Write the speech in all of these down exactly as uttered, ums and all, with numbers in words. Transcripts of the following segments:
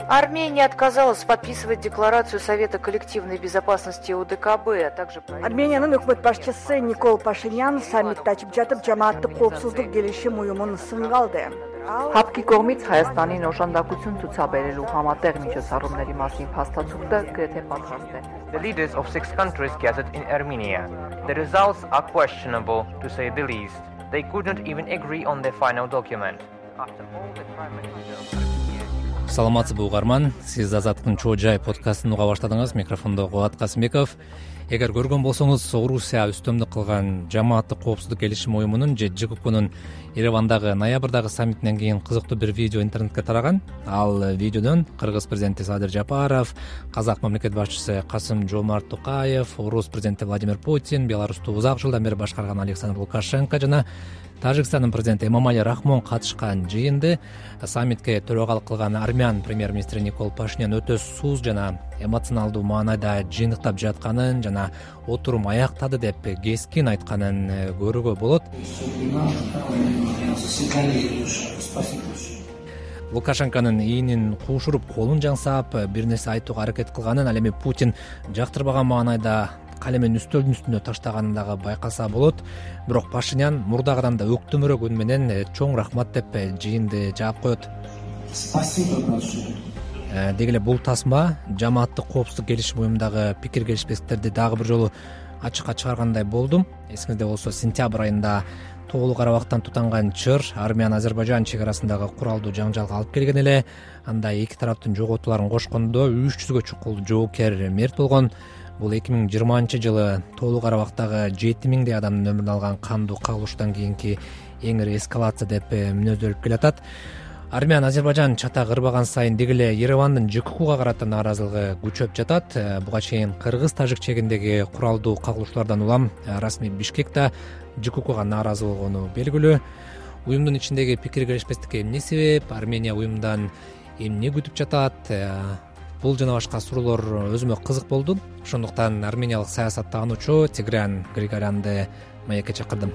Армения отказалась подписывать декларацию Совета коллективной безопасности ОДКБ, а также... Армениянын өкмөт башчысы Никол Пашинян саммитте ачып жатып жамааттык коопсуздук келишим уюмун сынга алды. ՀԱՊԿ-ի կողմից Հայաստանին օժանդակություն ցուցաբերելու համատեղ միջոցառումների մասին փաստացուկը գրեթե պատրաստ է։ The leaders of six countries gathered in Armenia. The results are questionable, to say the least. They couldn't even agree on their final document. After all the Prime Minister... Саламатсызбы угарман, сиз Азаттыктын чоо жай подкастын уга баштадыңыз. Микрофондо Кубат Касымбеков. Эгер көргөн болсоңуз, Орусия үстөмдүк кылган жамааттык коопсуздук келишим уюмунун же ЖККнун Еревандагы ноябрдагы саммитинен кийин кызыктуу бир видео интернетке тараган. Ал видеодон кыргыз президенти Садыр Жапаров, казак мамлекет башчысы Касым-Жомарт Токаев, Орус президенти Владимир Путин, Беларусту узак жылдан бери башкарган Александр Лукашенко жана Тажикстандын президенти Эмомали Рахмон катышкан жыйынды саммитке төрагалык кылган армян премьер-министри Никол Пашинян өтө сууз жана эмоционалдуу маанайда жыйынтыктап жатканын жана отурум аяктады деп кескин айтканын көрүүгө болот. Лукашенконун ийинин куушуруп, колун жаңсап, бир нерсе айтууга аракет кылганын, ал эми Путин жактырбаган маанайда калемен үстөлдүн үстүнө таштаганын дагы байкаса болот. Бирок Пашинян мурдагыдан да өктөмөрөөк үн менен чоң рахмат деп жыйынды жаап коет. Деги эле бул тасма жамааттык коопсуздук келишим уюмундагы пикир келишпестиктерди дагы бир жолу ачыкка чыгаргандай болдум. Эсиңизде болсо, сентябрь айында Тоолуу Карабактан тутанган чыр Армян-Азербайжан чек арасындагы куралдуу жаңжалга алып келген эле. Анда эки тараптын жоготууларын кошкондо үч жүзгө чукул жоокер мерт болгон. Бул эки миң жыйырманчы жылы Тоолуу Карабактагы жети миңдей адамдын өмүрүн алган кандуу кагылыштан кийинки эң ири эскалация деп мүнөздөлүп келатат. Армян-Азербайжан чатак ырбаган сайын деги эле Еревандын ЖККга карата нааразылыгы күчөп жатат. Буга чейин кыргыз-тажик чегиндеги куралдуу кагылыштуулардан улам расмий Бишкек да ЖККга нааразы болгону белгилүү. Уюмдун ичиндеги пикир келишпестикке эмне себеп? Армения уюмдан эмне күтүп жатат? Бул жана башка суроолор өзүмө кызык болду. Ошондуктан армениялык саясат таануучу Тигран Григорянды маекке чакырдым.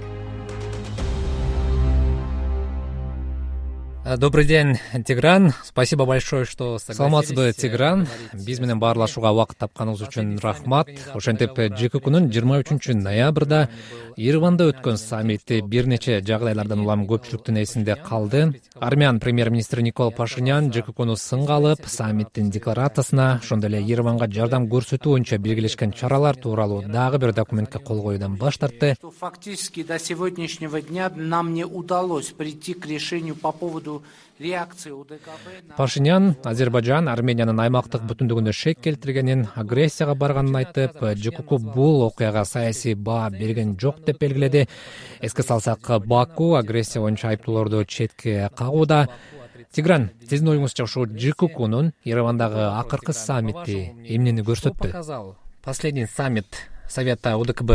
Добрый день, Тигран. Спасибо большое, что согласились. Саламатсызбы, Тигран. Биз менен баарлашууга убакыт тапканыңыз үчүн рахмат. Ошентип ЖККнун жыйырма үчүнчү ноябрда Ереванда өткөн саммити бир нече жагдайлардан улам көпчүлүктүн эсинде калды. Армян премьер-министри Никол Пашинян ЖККну сынга алып, саммиттин декларациясына, ошондой эле Ереванга жардам көрсөтүү боюнча белгилешкен чаралар тууралуу дагы бир документке кол коюудан баш тартты. Фактически до сегодняшнего дня нам не удалось прийти к решению по поводу реакции ОДКБ. Пашинян Азербайжан Армениянын аймактык бүтүндүгүнө шек келтиргенин, агрессияга барганын айтып, ЖКК бул окуяга саясий баа берген жок деп белгиледи. Эске салсак, Баку агрессия боюнча айыптоолорду четке кагууда. Тигран, сиздин оюңузча ушул ЖККнун Еревандагы акыркы саммити эмнени көрсөттү? Последний саммит Совета ОДКБ.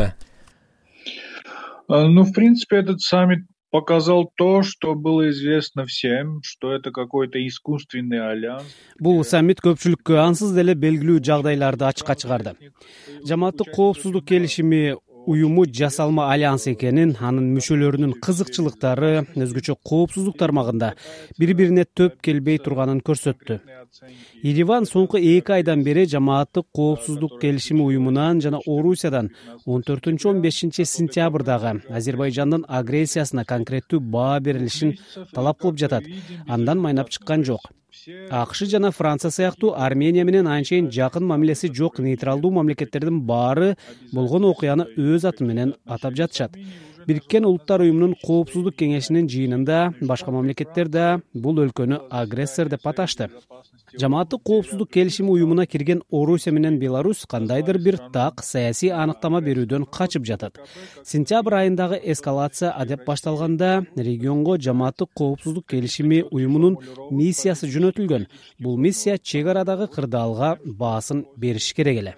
Ну, в принципе, этот саммит показал то, что было известно всем, что это какой-то искусственный альянс. Бул саммит көпчүлүккө ансыз деле белгилүү жагдайларды ачыкка чыгарды. Жамааттык коопсуздук келишими уюму жасалма альянс экенин, анын мүчөлөрүнүн кызыкчылыктары өзгөчө коопсуздук тармагында бири-бирине төп келбей турганын көрсөттү. Ереван соңку эки айдан бери жамааттык коопсуздук келишими уюмунан жана Орусиядан он төртүнчү он бешинчи сентябрдагы Азербайжандын агрессиясына конкреттүү баа берилишин талап кылып жатат. Андан майнап чыккан жок. АКШ жана Франция сыяктуу Армения менен анчейин жакын мамилеси жок нейтралдуу мамлекеттердин баары болгон окуяны өз аты менен атап жатышат. Бириккен Улуттар уюмунун коопсуздук кеңешинин жыйынында башка мамлекеттер да бул өлкөнү агрессор деп аташты. Жамааттык коопсуздук келишими уюмуна кирген Орусия менен Беларусь кандайдыр бир так саясий аныктама берүүдөн качып жатат. Сентябрь айындагы эскалация адеп башталганда регионго жамааттык коопсуздук келишими уюмунун миссиясы жөнөтүлгөн. Бул миссия чек арадагы кырдаалга баасын бериш керек эле.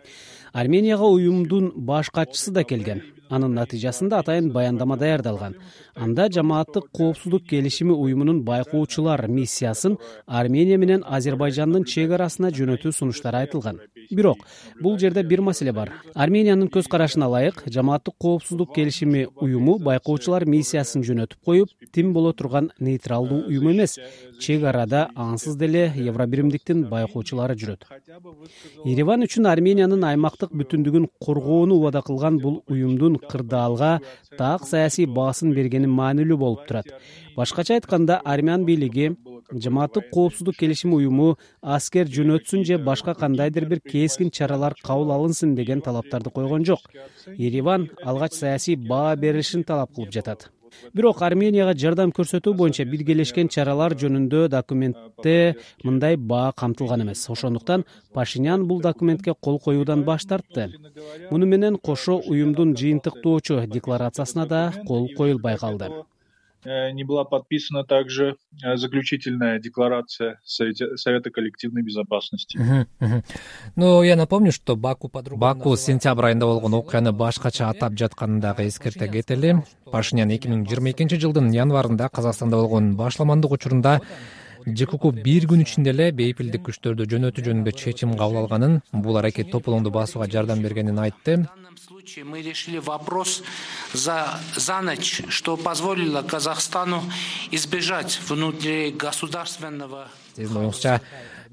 Арменияга уюмдун баш катчысы да келген. Анын натыйжасында атайын баяндама даярдалган. Анда жамааттык коопсуздук келишими уюмунун байкоочулар миссиясын Армения менен Азербайжандын чек арасына жөнөтүү сунуштары айтылган. Бирок бул жерде бир маселе бар. Армениянын көз карашына ылайык жамааттык коопсуздук келишими уюму байкоочулар миссиясын жөнөтүп коюп, тим боло турган нейтралдуу уюм эмес. Чек арада ансыз деле Евробиримдиктин байкоочулары жүрөт. Ереван үчүн Армениянын аймактык бүтүндүгүн коргоону убада кылган бул уюмдун кырдаалга так саясий баасын бергени маанилүү болуп турат. Башкача айтканда, армян бийлиги жамааттык коопсуздук келишими уюму аскер жөнөтсүн же башка кандайдыр бир кескин чаралар кабыл алынсын деген талаптарды койгон жок. Ереван алгач саясий баа берилишин талап кылып жатат. Бирок Арменияга жардам көрсөтүү боюнча биргелешкен чаралар жөнүндө документте мындай баа камтылган эмес. Ошондуктан Пашинян бул документке кол коюудан баш тартты. Муну менен кошо уюмдун жыйынтыктоочу декларациясына да кол коюлбай калды. Не была подписана также заключительная декларация Совета коллективной безопасности. Ну, я напомню, что Баку по-другому... Баку сентябрь айында болгон окуяны башкача атап жатканын дагы эскерте кетели. Пашинян эки миң жыйырма экинчи жылдын январында Казакстанда болгон башламандык учурунда ЖКУ бир күн ичинде эле бейпилдик күчтөрдү жөнөтүү жөнүндө чечим кабыл алганын, бул аракет тополоңду басууга жардам бергенин айтты. Мы решили вопрос за, за ночь, что позволило Казахстану избежать внутригосударственного... Сиздин оюңузча,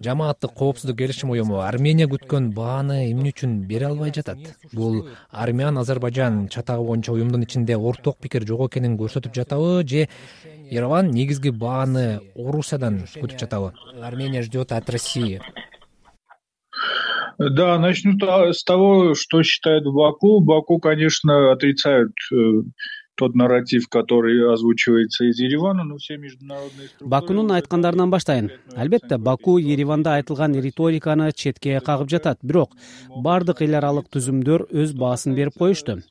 жамааттык коопсуздук келишим уюму Армения күткөн бааны эмне үчүн бере албай жатат? Бул Армян Азербайжан чатагы боюнча уюмдун ичинде орток пикир жок экенин көрсөтүп жатабы, же Ереван негизги бааны Орусиядан күтүп жатабы? Армения ждет от России. Да, начну с того, что считает Баку. Баку, конечно, отрицают э, тот нарратив, который озвучивается из Еревана, но все международные структуры... Бакунун айткандарынан баштайын. Албетте, Баку Ереванда айтылган риториканы четке кагып жатат. Бирок бардык эл аралык түзүмдөр өз баасын берип коюшту.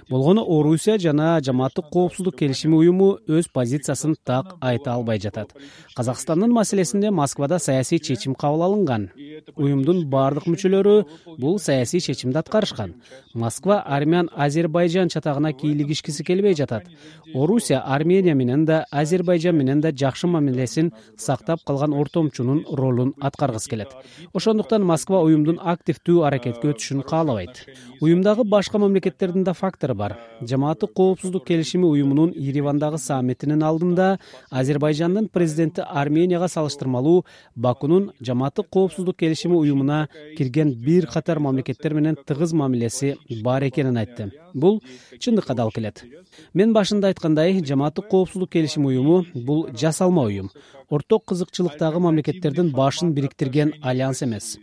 Болгону Орусия жана жамааттык коопсуздук келишими уюму өз позициясын так айта албай жатат. Казакстандын маселесинде Москвада саясий чечим кабыл алынган. Уюмдун бардык мүчөлөрү бул саясий чечимди аткарышкан. Москва армян Азербайжан чатагына кийлигишкиси келбей жатат. Орусия Армения менен да Азербайжан менен да жакшы мамилесин сактап калган ортомчунун ролун аткаргысы келет. Ошондуктан Москва уюмдун активдүү аракетке өтүшүн каалабайт. Уюмдагы башка мамлекеттердин да фактору бар. Жамааттык коопсуздук келишими уюмунун Еревандагы саммитинин алдында Азербайжандын президенти Арменияга салыштырмалуу Бакунун жамааттык коопсуздук келишими уюмуна кирген бир катар мамлекеттер менен тыгыз мамилеси бар экенин айтты. Бул чындыкка да алып келет. Мен башында айткандай, жамааттык коопсуздук келишими уюму бул жасалма уюм. Орток кызыкчылыктагы мамлекеттердин башын бириктирген альянс эмес.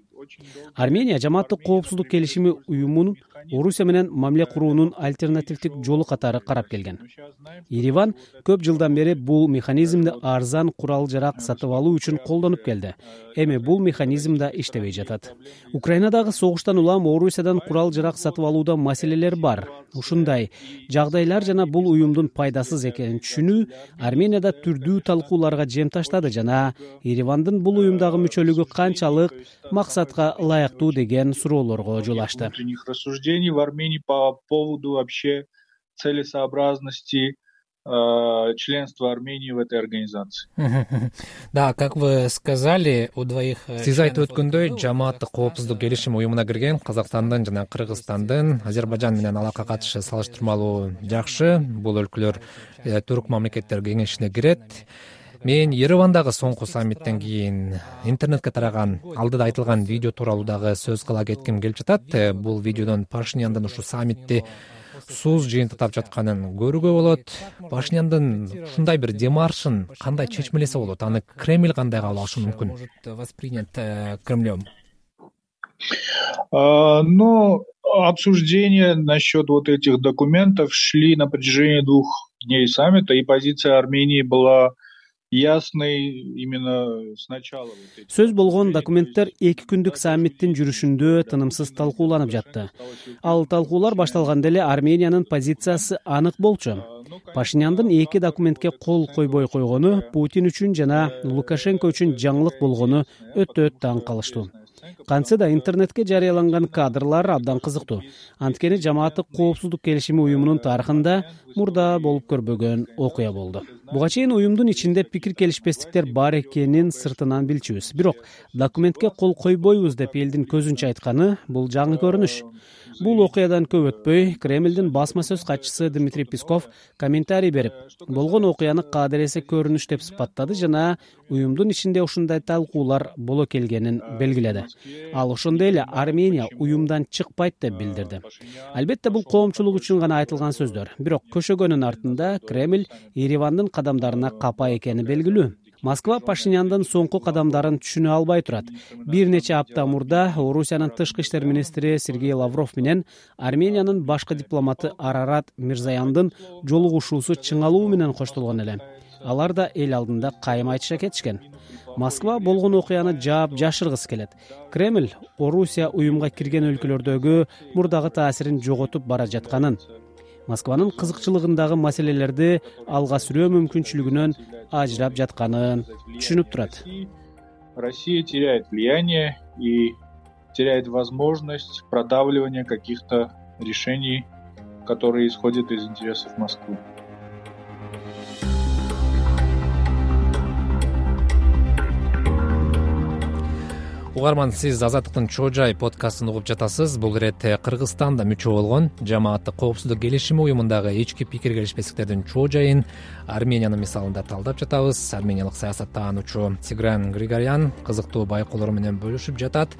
Армения жамааттык коопсуздук келишими уюмунун Орусия менен мамиле куруунун альтернативдик жолу катары карап келген. Ереван көп жылдан бери бул механизмди арзан курал жарак сатып алуу үчүн колдонуп келди. Эми бул механизм да иштебей жатат. Украинадагы согуштан улам Орусиядан курал жарак сатып алууда маселелер бар. Ушундай жагдайлар жана бул уюмдун пайдасыз экенин түшүнүү Арменияда түрдүү талкууларга жем таштады жана Еревандын бул уюмдагы мүчөлүгү канчалык максатка ылайыктуу деген суроолорго жол ачты. В Армении по поводу вообще целесообразности э, членства Армении в этой организации. Да, как вы сказали, у двоих... Сиз айтып өткөндөй, жамааттык коопсуздук келишим уюмуна кирген Казакстандын жана Кыргызстандын Азербайжан менен алака катышы салыштырмалуу жакшы. Бул өлкөлөр түрк мамлекеттер кеңешине кирет. Мен Еревандагы соңку саммиттен кийин интернетке тараган алдыда айтылган видео тууралуу дагы сөз кыла кетким келип жатат. Бул видеодон Пашиняндын ушу саммитти сууз жыйынтыктап жатканын көрүүгө болот. Пашиняндын ушундай бир демаршын кандай чечмелесе болот? Аны Кремль кандай кабыл алышы мүмкүн? Воспринят Кремлем. Но обсуждения насчет вот этих документов шли на протяжении двух дней саммита, и позиция Армении была ясный именно сначала. Сөз болгон документтер эки күндүк саммиттин жүрүшүндө тынымсыз талкууланып жатты. Ал талкуулар башталганда эле Армениянын позициясы анык болчу. Пашиняндын эки документке кол койбой койгону Путин үчүн жана Лукашенко үчүн жаңылык болгону өтө таң калыштуу. Кантсе да интернетке жарыяланган кадрлар абдан кызыктуу. Анткени жамааттык коопсуздук келишими уюмунун тарыхында мурда болуп көрбөгөн окуя болду. Буга чейин уюмдун ичинде пикир келишпестиктер бар экенин сыртынан билчүбүз. Бирок документке кол койбойбуз деп элдин көзүнчө айтканы бул жаңы көрүнүш. Бул окуядан көп өтпөй, Кремлдин басма сөз катчысы Дмитрий Песков комментарий берип, болгон окуяны кадыресе көрүнүш деп сыпаттады жана уюмдун ичинде ушундай талкуулар боло келгенин белгиледи. Ал ошондой эле Армения уюмдан чыкпайт деп билдирди. Албетте бул коомчулук үчүн гана айтылган сөздөр. Бирок көшөгөнүн артында Кремль Еревандын кадамдарына капа экени белгилүү. Москва Пашиняндын соңку кадамдарын түшүнө албай турат. Бир нече апта мурда Орусиянын тышкы иштер министри Сергей Лавров менен Армениянын башкы дипломаты Арарат Мирзаяндын жолугушуусу чыңалуу менен коштолгон эле. Алар да эл алдында кайым айтыша кетишкен. Москва болгон окуяны жаап жашыргысы келет. Кремль Орусия уюмга кирген өлкөлөрдөгү мурдагы таасирин жоготуп бара жатканын, Москванын кызыкчылыгындагы маселелерди алга сүрөө мүмкүнчүлүгүнөн ажырап жатканын түшүнүп турат. Россия теряет влияние и теряет возможность продавливания каких-то решений, которые исходят из интересов Москвы. Угарман, сиз Азаттыктын Чоо Жай подкастын угуп жатасыз. Бул иретте Кыргызстанда мүчө болгон жамааттык коопсуздук келишими уюмундагы ички пикир келишпестиктердин чоо жайын Армениянын мисалында талдап жатабыз. Армениялык саясаттаануучу Тигран Григорян кызыктуу байкоолору менен бөлүшүп жатат.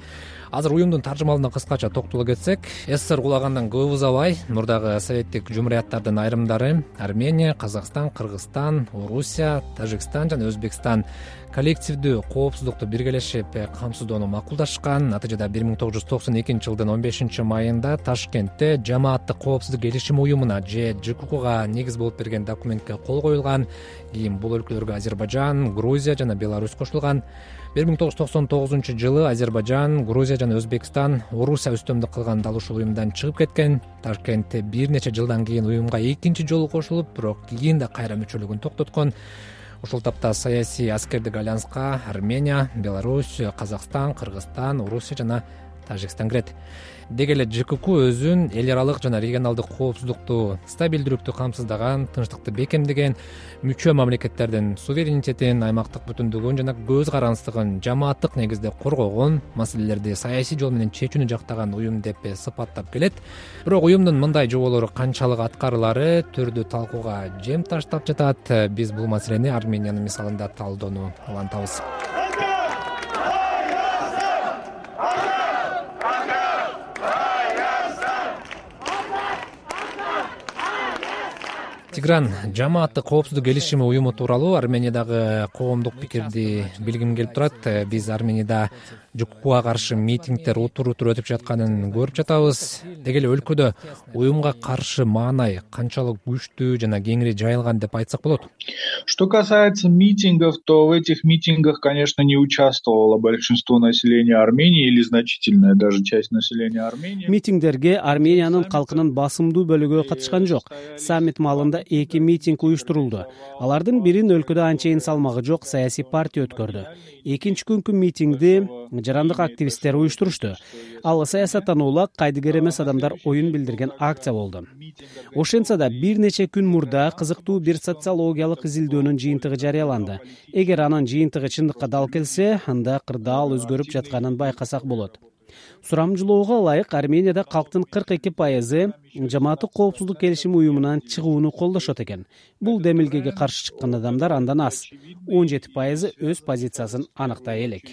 Азыр уюмдун таржымалына кыскача токтоло кетсек, СССР кулагандан көп узабай мурдагы советтик жумурияттардын айрымдары Армения, Казакстан, Кыргызстан, Орусия, Тажикстан жана Өзбекстан коллективдүү коопсуздукту биргелешип камсыздоону макулдашкан. Натыйжада бир миң тогуз жүз токсон экинчи жылдын он бешинчи майында Ташкентте жамааттык коопсуздук келишими уюмуна же ЖКУга негиз болуп берген документке кол коюлган. Кийин бул өлкөлөргө Азербайжан, Грузия жана Беларусь кошулган. бир миң тогуз жүз токсон тогузунчу жылы Азербайжан, Грузия жана Өзбекстан Орусия үстөмдүк кылган дал ушул уюмдан чыгып кеткен. Ташкентте бир нече жылдан кийин уюмга экинчи жолу кошулуп, бирок кийин да кайра мүчөлүгүн токтоткон. Ушул тапта саясий аскердик альянска Армения, Беларусь, Казакстан, Кыргызстан, Орусия жана Тажикстан кирет. Деги эле ЖКУ өзүн эл аралык жана регионалдык коопсуздукту, стабилдүүлүктү камсыздаган, тынчтыкты бекемдеген, мүчө мамлекеттердин суверенитетин, аймактык бүтүндүгүн жана көз карандысыздыгын жамааттык негизде коргогон, маселелерди саясий жол менен чечүүнү жактаган уюм деп сыпаттап келет. Бирок уюмдун мындай жоболору канчалык аткарылары төрдүү талкууга жем таштап жатат. Биз бул маселени Армениянын мисалында талдоону улантабыз. Тигран, жамааттык коопсуздук келишими уюму тууралуу Армениядагы коомдук пикирди билгим келип турат. Биз Арменияда ЖКУга каршы митингдер утур-утур өтүп жатканын көрүп жатабыз. Деги эле өлкөдө уюмга каршы маанай канчалык күчтүү жана кеңири жайылган деп айтсак болот? Что касается митингов, то в этих митингах, конечно, не участвовало большинство населения Армении или значительная даже часть населения Армении. Митингдерге Армениянын калкынын басымдуу бөлүгү катышкан жок. Саммит маалында эки митинг уюштурулду. Алардын бирин өлкөдө анчейин салмагы жок саясий партия өткөрдү. Экинчи күнкү митингди жарандык активисттер уюштурушту. Ал саясаттануулар кайдыгер эмес адамдар оюн билдирген акция болду. Ошентсе да бир нече күн мурда кызыктуу бир социологиялык изилдөөнүн жыйынтыгы жарыяланды. Эгер анын жыйынтыгы чындыкка дал келсе, анда кырдаал өзгөрүп жатканын байкасак болот. Сурамжылоого ылайык Арменияда калктын кырк эки пайызы жамааттык коопсуздук келишими уюмунан чыгууну колдошот экен. Бул демилгеге каршы чыккан адамдар андан аз. он жети пайызы өз позициясын аныктай элек.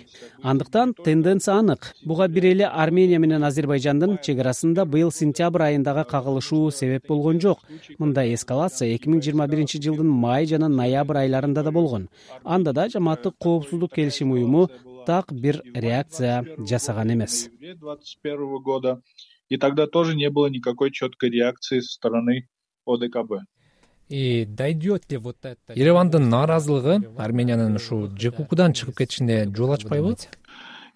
Андыктан тенденция анык. Буга бир эле Армения менен Азербайжандын чек арасында быйыл сентябрь айындагы кагылышуу себеп болгон жок. Мындай эскалация эки миң жыйырма биринчи жылдын май жана ноябрь айларында да болгон. Анда да жамааттык коопсуздук келишими уюму так бир реакция жасаган эмес. двадцать первого года, и тогда тоже не было никакой четкой реакции со стороны ОДКБ. И дойдет ли вот это? Еревандын нааразылыгы Армениянын ушу ЖКУдан чыгып кетишине жол ачпайбы?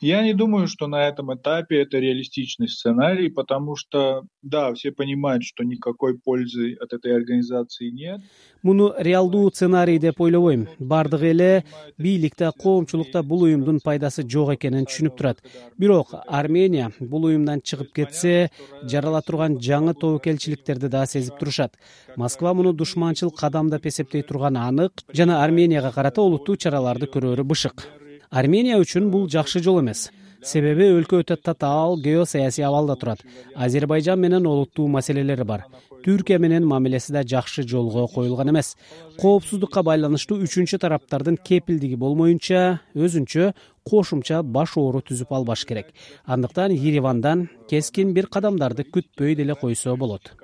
Я не думаю, что на этом этапе это реалистичный сценарий, потому что, да, все понимают, что никакой пользы от этой организации нет. Муну реалдуу сценарий деп ойлобойм. Бардыгы эле бийликте, коомчулукта бул уюмдун пайдасы жок экенин түшүнүп турат. Бирок Армения бул уюмдан чыгып кетсе, жарала турган жаңы тобокелчиликтерди да сезип турушат. Москва муну душманчыл кадам деп эсептей турганы анык жана Арменияга карата олуттуу чараларды көрөрү бышык. Армения үчүн бул жакшы жол эмес. Себеби өлкө өтө татаал геосаясий абалда турат. Азербайжан менен олуттуу маселелери бар. Түркия менен мамилеси да жакшы жолго коюлган эмес. Коопсуздукка байланыштуу үчүнчү тараптардын кепилдиги болмоюнча, өзүнчө кошумча баш оору түзүп албаш керек. Андыктан Еревандан кескин бир кадамдарды күтпөй деле койсо болот.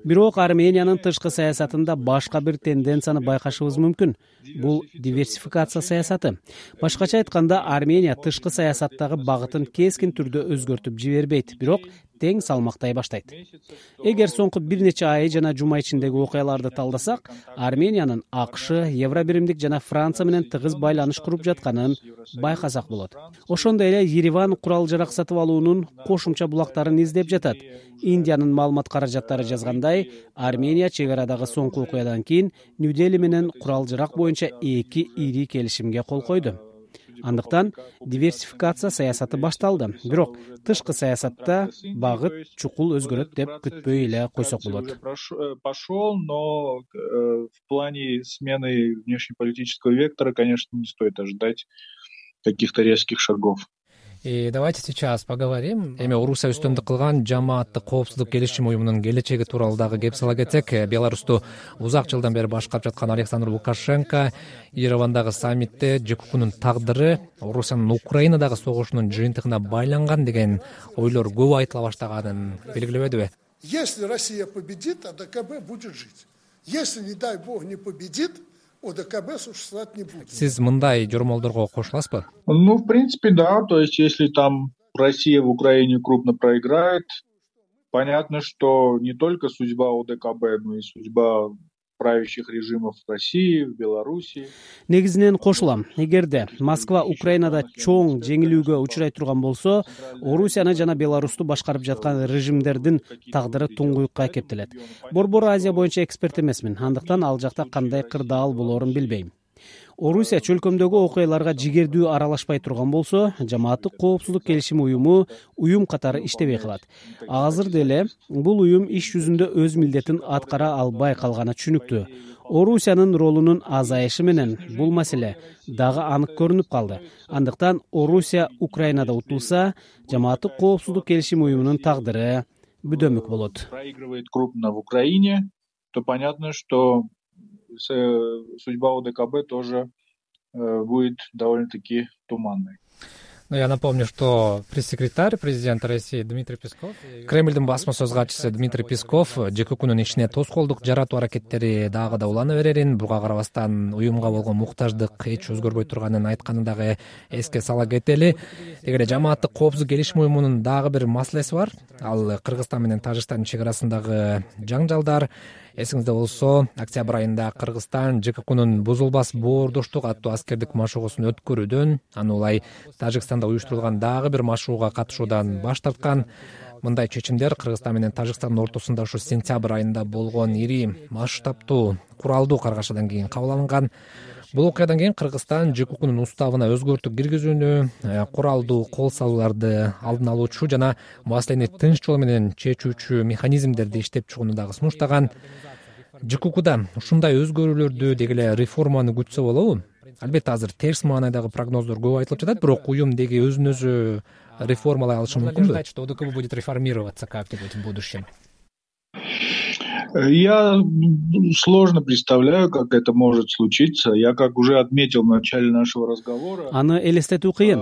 Бирок Армениянын тышкы саясатында башка бир тенденцияны байкашыбыз мүмкүн. Бул диверсификация саясаты. Башкача айтканда, Армения тышкы саясаттагы багытын кескин түрдө өзгөртүп жибербейт, бирок тең салмактай баштайт. Эгер соңку бир нече ай жана жума ичиндеги окуяларды талдасак, Армениянын АКШ, Евробиримдик жана Франция менен тыгыз байланыш куруп жатканын байкасак болот. Ошондой эле Ереван курал жарак сатып алуунун кошумча булактарын издеп жатат. Индиянын маалымат каражаттары жазгандай, Армения чек арадагы соңку окуядан кийин Нью-Дели менен курал жарак боюнча эки ири келишимге кол койду. Андыктан диверсификация саясаты башталды. Бирок тышкы саясатта багыт чукул өзгөрөт деп күтпөй эле койсок болот. Пошел, но в плане смены внешнеполитического вектора, конечно, не стоит ожидать каких-то резких шагов. И давайте сейчас поговорим. Эми Орусия үстөмдүк кылган жамааттык коопсуздук келишим уюмунун келечеги тууралуу дагы кеп сала кетсек, Беларусту узак жылдан бери башкарып жаткан Александр Лукашенко Еревандагы саммитте ЖКХнун тагдыры Орусиянын Украинадагы согушунун жыйынтыгына байланган деген ойлор көп айтыла баштаганын белгилебедиби? Если Россия победит, АДКБ будет жить. Если, не дай бог, не победит, ОДКБ существовать не будет. Сиз мындай жормолдорго кошуласызбы? Ну, в принципе, да. То есть, если там Россия в Украине крупно проиграет, понятно, что не только судьба ОДКБ, но и судьба правящих режимов в России, в Беларуси. Негизинен кошулам. Эгерде Москва Украинада чоң жеңилүүгө учурай турган болсо, Орусияны жана Беларусту башкарып жаткан режимдердин тагдыры туңгуюкка кептелет. Борбор Азия боюнча эксперт эмесмин, андыктан ал жакта кандай кырдаал болоорун билбейм. Орусия чөлкөмдөгү окуяларга жигердүү аралашпай турган болсо, жамааттык коопсуздук келишим уюму уюм катары иштебей калат. Азыр деле бул уюм иш жүзүндө өз милдетин аткара албай калганы түшүнүктүү. Орусиянын ролунун азайышы менен бул маселе дагы анык көрүнүп калды. Андыктан Орусия Украинада утулса, жамааттык коопсуздук келишим уюмунун тагдыры бүдөмүк болот. Проигрывает крупно в Украине, то понятно, что судьба ОДКБ тоже э, будет довольно-таки туманной. Ну, я напомню, что пресс-секретарь президента России Дмитрий Песков, Кремльдин басма сөз катчысы Дмитрий Песков ЖКХнун ишине тоскоолдук жаратуу аракеттери дагы да улана берерин, буга карабастан уюмга болгон муктаждык эч өзгөрбөй турганын айтканын дагы эске сала кетели. Эгер жамааттык коопсуздук келишим уюмунун дагы бир маселеси бар, ал Кыргызстан менен Тажикстандын чек арасындагы жаңжалдар. Эсиңизде болсо, октябрь айында Кыргызстан ЖКХнун бузулбас боордоштук аттуу аскердик машыгуусун өткөрүүдөн, аны улай Тажикстанда уюштурулган дагы бир машыгууга катышуудан баш тарткан. Мындай чечимдер Кыргызстан менен Тажикстандын ортосунда ушу сентябрь айында болгон ири масштабтуу куралдуу каргашадан кийин кабыл алынган. Бул окуядан кийин Кыргызстан ЖКХнун уставына өзгөртүү киргизүүнү, куралдуу кол салууларды алдын алуучу жана маселени тынч жол менен чечүүчү механизмдерди иштеп чыгууну дагы сунуштаган. ЖКХда ушундай өзгөрүүлөрдү деги эле реформаны күтсө болобу? Албетте азыр терс маанайдагы прогноздор көп айтылып жатат, бирок уюм деги өзүн өзү реформалай алышы мүмкүнбү? Что ОДКБ будет реформироваться как-нибудь в будущем? Я сложно представляю, как это может случиться. Я, как уже отметил в начале нашего разговора, аны элестетүү кыйын.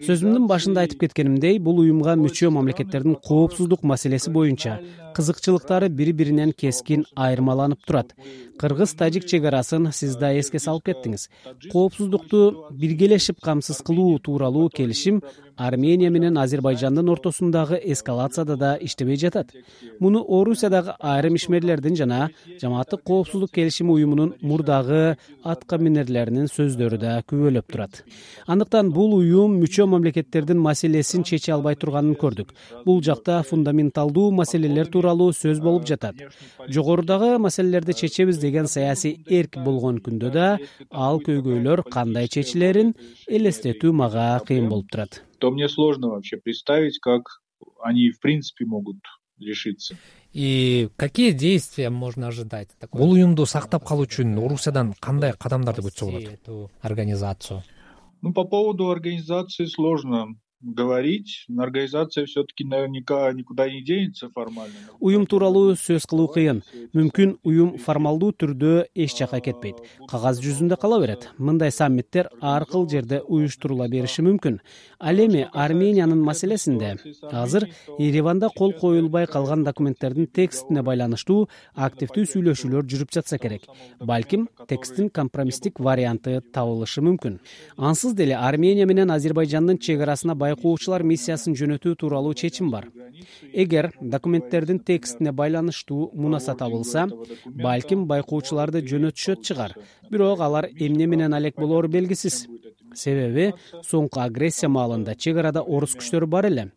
Сөзүмдүн башында айтып кеткенимдей, бул уюмга мүчө мамлекеттердин коопсуздук маселеси боюнча кызыкчылыктары бири-биринен кескин айырмаланып турат. кыргыз-тажик чек арасын сиз да эске салып кеттиңиз. Коопсуздукту биргелешип камсыз кылуу тууралуу келишим Армения менен Азербайжандын ортосундагы эскалацияда да иштебей жатат. Муну Орусиядагы айрым ишмерлердин жана жамааттык коопсуздук келишими уюмунун мурдагы атка минерлеринин сөздөрү да күбөлөп турат. Андыктан бул уюм мүчө мамлекеттердин маселесин чече албай турганын көрдүк. Бул жакта фундаменталдуу маселелер тууралуу сөз болуп жатат. Жогорудагы маселелерди чечебиз деген саясий эрк болгон күндө да ал көйгөйлөр кандай чечилерин элестетүү мага кыйын болуп турат. То мне сложно вообще представить, как они в принципе могут решиться. И какие действия можно ожидать? Бул уюмду сактап калуу үчүн Орусиядан кандай кадамдарды күтсө болот? Эту организацию. Ну, по поводу организации сложно говорить. Организация все-таки наверняка никуда не денется формально. Уюм тууралуу сөз кылуу кыйын. Мүмкүн уюм формалдуу түрдө эч жака кетпейт. Кагаз жүзүндө кала берет. Мындай саммиттер ар кыл жерде уюштурула бериши мүмкүн. Ал эми Армениянын маселесинде азыр Ереванда кол коюлбай калган документтердин текстине байланыштуу активдүү сүйлөшүүлөр жүрүп жатса керек. Балким тексттин компромисстик варианты табылышы мүмкүн. Ансыз деле Армения менен Азербайжандын чек арасына байкоочулар миссиясын жөнөтүү тууралуу чечим бар. Эгер документтердин текстине байланыштуу мунаса табылса, балким байкоочуларды жөнөтүшөт чыгар. Бирок алар эмне менен алек болору белгисиз. Себеби соңку агрессия маалында чек арада орус күчтөрү бар эле.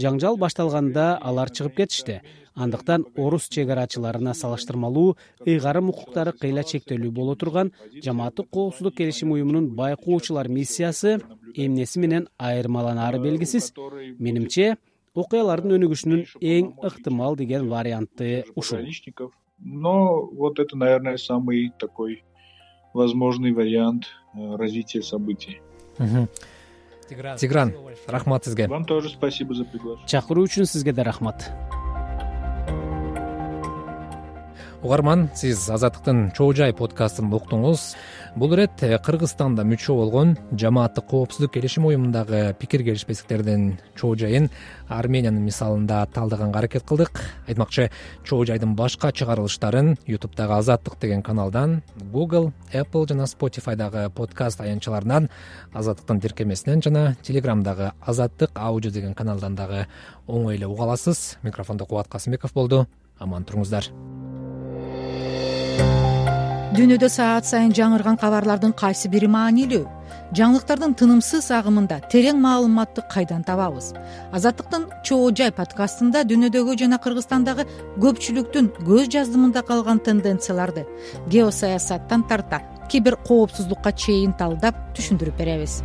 Жаңжал башталганда алар чыгып кетишти. Андыктан орус чек арачыларына салыштырмалуу ыйгарым укуктары кыйла чектелүү боло турган жамааттык коопсуздук келишим уюмунун байкоочулар миссиясы эмнеси менен айырмаланары белгисиз. Менимче, окуялардын өнүгүшүнүн эң ыктымал деген варианты ушул. Но вот это, наверное, самый такой возможный вариант развития событий. Тигран, рахмат сизге. Вам тоже спасибо за приглашение. Чакыруу үчүн сизге да рахмат. Угарман, сиз Азаттыктын Чоо Жай подкастын уктуңуз. Бул ирет Кыргызстанда мүчө болгон жамааттык коопсуздук келишим уюмундагы пикир келишпестиктердин Чоо Жайын Армениянын мисалында талдаганга аракет кылдык. Айтмакчы, Чоо Жайдын башка чыгарылыштарын ютубтагы Азаттык деген каналдан, Google, Apple жана Spotify'дагы подкаст аянтчаларынан, Азаттыктын тиркемесинен жана Telegram'дагы Азаттык аудио деген каналдан дагы оңой эле уга аласыз. Микрофондо Кубат Касымбеков болду. Аман туруңуздар. Дүйнөдө саат сайын жаңырган кабарлардын кайсы бири маанилүү? Жаңылыктардын тынымсыз агымында терең маалыматты кайдан табабыз? Азаттыктын Чоо Жай подкастында дүйнөдөгү жана Кыргызстандагы көпчүлүктүн көз жаздымында калган тенденцияларды геосаясаттан тарта кибер коопсуздукка чейин талдап түшүндүрүп беребиз.